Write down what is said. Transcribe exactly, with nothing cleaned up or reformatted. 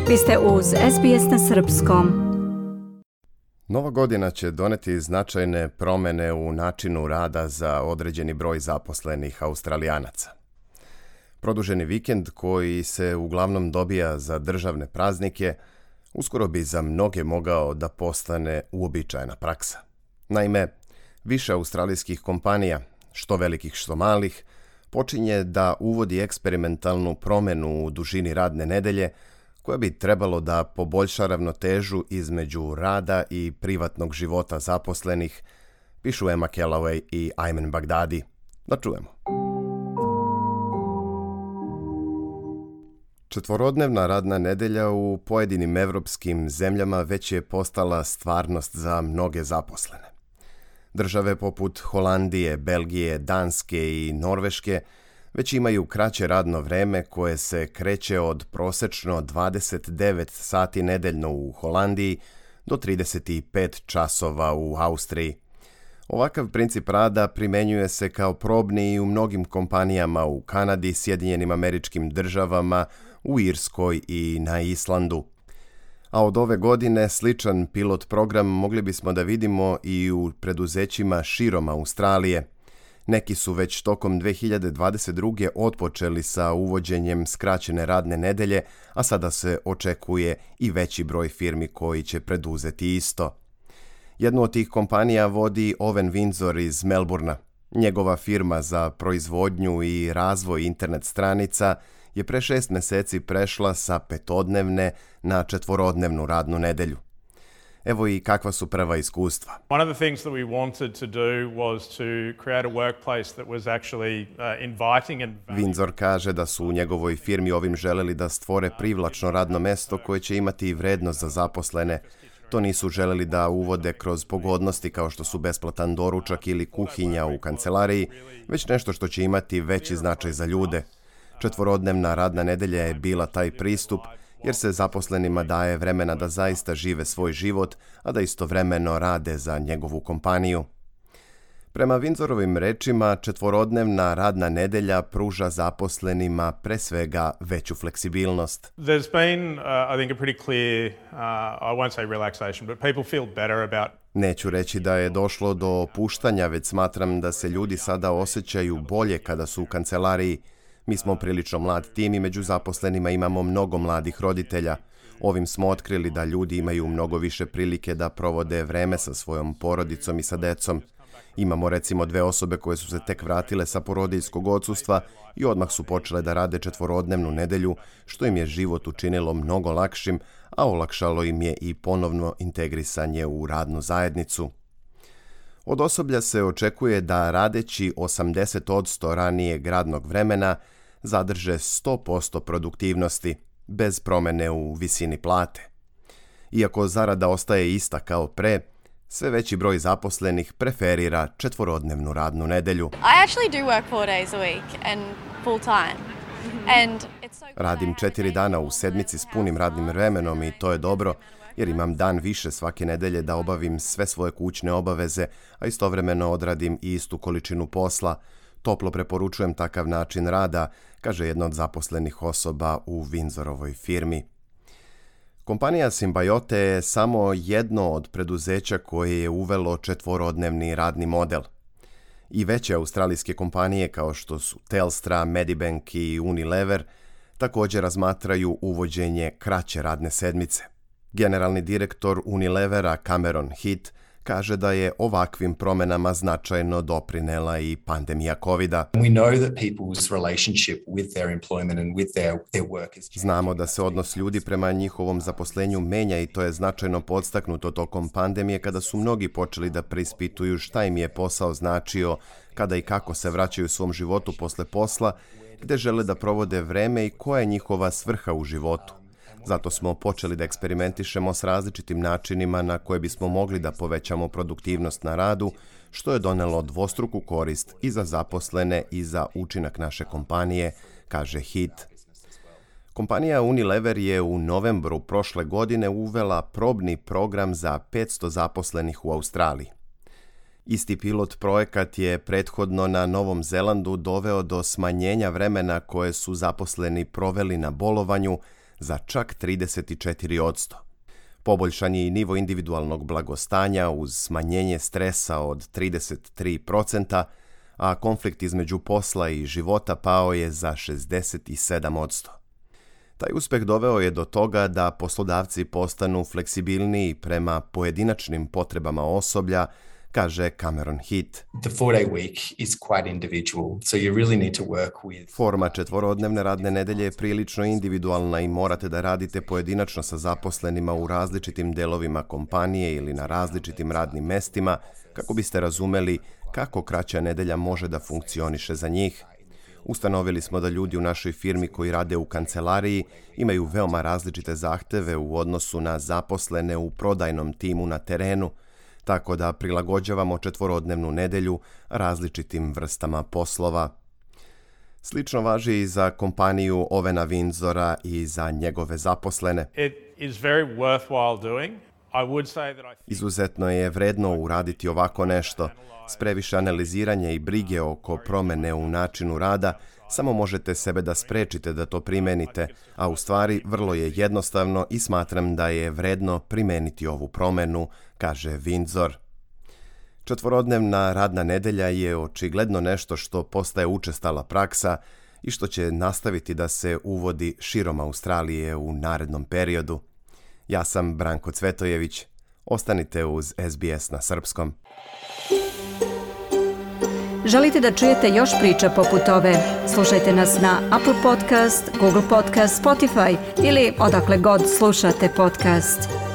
Vi ste uz S B S na srpskom. Nova godina će doneti značajne promjene u načinu rada za određeni broj zaposlenih Australijanaca. Produženi vikend koji se uglavnom dobija za državne praznike uskoro bi za mnoge mogao da postane uobičajena praksa. Naime, više australijskih kompanija, što velikih što malih, počinje da uvodi eksperimentalnu promjenu u dužini radne nedelje koja bi trebalo da poboljša ravnotežu između rada i privatnog života zaposlenih, pišu Emma Callaway i Ayman Baghdadi. Da čujemo. Četvorodnevna radna nedelja u pojedinim evropskim zemljama već je postala stvarnost za mnoge zaposlene. Države poput Holandije, Belgije, Danske i Norveške već imaju kraće radno vreme koje se kreće od prosečno dvadeset devet sati nedeljno u Holandiji do trideset pet časova u Austriji. Ovakav princip rada primenjuje se kao probni i u mnogim kompanijama u Kanadi, Sjedinjenim Američkim Državama, u Irskoj i na Islandu. A od ove godine sličan pilot program mogli bismo da vidimo i u preduzećima širom Australije. Neki su već tokom dve hiljade dvadeset druge otpočeli sa uvođenjem skraćene radne nedelje, a sada se očekuje i veći broj firmi koji će preduzeti isto. Jednu od tih kompanija vodi Owen Windsor iz Melbournea. Njegova firma za proizvodnju i razvoj internet stranica je pre šest meseci prešla sa petodnevne na četvorodnevnu radnu nedelju. Evo i kakva su prva iskustva. One of the things that we wanted to do was to create a workplace that was actually uh, inviting and Windsor kaže da su u njegovoj firmi ovim želeli da stvore privlačno radno mesto koje će imati i vrednost za zaposlene. To nisu želeli da uvode kroz pogodnosti kao što su besplatan doručak ili kuhinja u kancelariji, već nešto što će imati veći značaj za ljude. Četvorodnevna radna nedelja je bila taj pristup, jer se zaposlenima daje vremena da zaista žive svoj život, a da istovremeno rade za njegovu kompaniju. Prema Windsorovim rečima, četvorodnevna radna nedelja pruža zaposlenima pre svega veću fleksibilnost. There's been, uh, I think, a pretty clear, uh, I won't say relaxation, but people feel better about. Neću reći da je došlo do opuštanja, već smatram da se ljudi sada osjećaju bolje kada su u kancelariji. Mi smo prilično mlad tim i među zaposlenima imamo mnogo mladih roditelja. Ovim smo otkrili da ljudi imaju mnogo više prilike da provode vreme sa svojom porodicom i sa decom. Imamo recimo dve osobe koje su se tek vratile sa porodiljskog odsustva i odmah su počele da rade četvorodnevnu nedelju, što im je život učinilo mnogo lakšim, a olakšalo im je i ponovno integrisanje u radnu zajednicu. Od osoblja se očekuje da radeći osamdeset posto ranijeg radnog vremena zadrže sto posto produktivnosti, bez promene u visini plate. Iako zarada ostaje ista kao pre, sve veći broj zaposlenih preferira četvorodnevnu radnu nedelju. I actually do work four days a week and full time. And it's so Radim četiri dana u sedmici s punim radnim vremenom i to je dobro, jer imam dan više svake nedelje da obavim sve svoje kućne obaveze, a istovremeno odradim i istu količinu posla. Toplo preporučujem takav način rada, kaže jedna od zaposlenih osoba u Windsorovoj firmi. Kompanija Symbiote je samo jedno od preduzeća koje je uvelo četvorodnevni radni model. I veće australijske kompanije kao što su Telstra, Medibank i Unilever također razmatraju uvođenje kraće radne sedmice. Generalni direktor Unilevera Cameron Heath kaže da je ovakvim promenama značajno doprinela i pandemija kovida. We know that people's relationship with their employment and with their, their work is changing. Znamo da se odnos ljudi prema njihovom zaposlenju menja i to je značajno podstaknuto tokom pandemije kada su mnogi počeli da preispituju šta im je posao značio, kada i kako se vraćaju svom životu posle posla, gde žele da provode vreme i koja je njihova svrha u životu. Zato smo počeli da eksperimentišemo s različitim načinima na koje bismo mogli da povećamo produktivnost na radu, što je donelo dvostruku korist i za zaposlene i za učinak naše kompanije, kaže Heath. Kompanija Unilever je u novembru prošle godine uvela probni program za petsto zaposlenih u Australiji. Isti pilot projekat je prethodno na Novom Zelandu doveo do smanjenja vremena koje su zaposleni proveli na bolovanju, za čak trideset četiri posto. Poboljšan je i nivo individualnog blagostanja uz smanjenje stresa od trideset tri posto, a konflikt između posla i života pao je za šezdeset sedam posto. Taj uspeh doveo je do toga da poslodavci postanu fleksibilniji prema pojedinačnim potrebama osoblja, kaže Cameron Heath. The four-day week is quite individual, so you really need to work with... Forma četvorodnevne radne nedelje je prilično individualna i morate da radite pojedinačno sa zaposlenima u različitim delovima kompanije ili na različitim radnim mestima kako biste razumeli kako kraća nedelja može da funkcioniše za njih. Ustanovili smo da ljudi u našoj firmi koji rade u kancelariji imaju veoma različite zahteve u odnosu na zaposlene u prodajnom timu na terenu, tako da prilagođavamo četvorodnevnu nedelju različitim vrstama poslova. Slično važi i za kompaniju Ovena Windsora i za njegove zaposlene. It is very worthwhile doing. I would say that I think... Izuzetno je vredno uraditi ovako nešto. S previše analiziranja i brige oko promene u načinu rada samo možete sebe da sprečite da to primenite, a u stvari vrlo je jednostavno i smatram da je vredno primeniti ovu promenu, kaže Windsor. Četvorodnevna radna nedelja je očigledno nešto što postaje učestala praksa i što će nastaviti da se uvodi širom Australije u narednom periodu. Ja sam Branko Cvetojević. Ostanite uz S B S na srpskom. Želite da čujete još priča poput ove? Slušajte nas na Apple Podcast, Google Podcast, Spotify ili odakle god slušate podcast.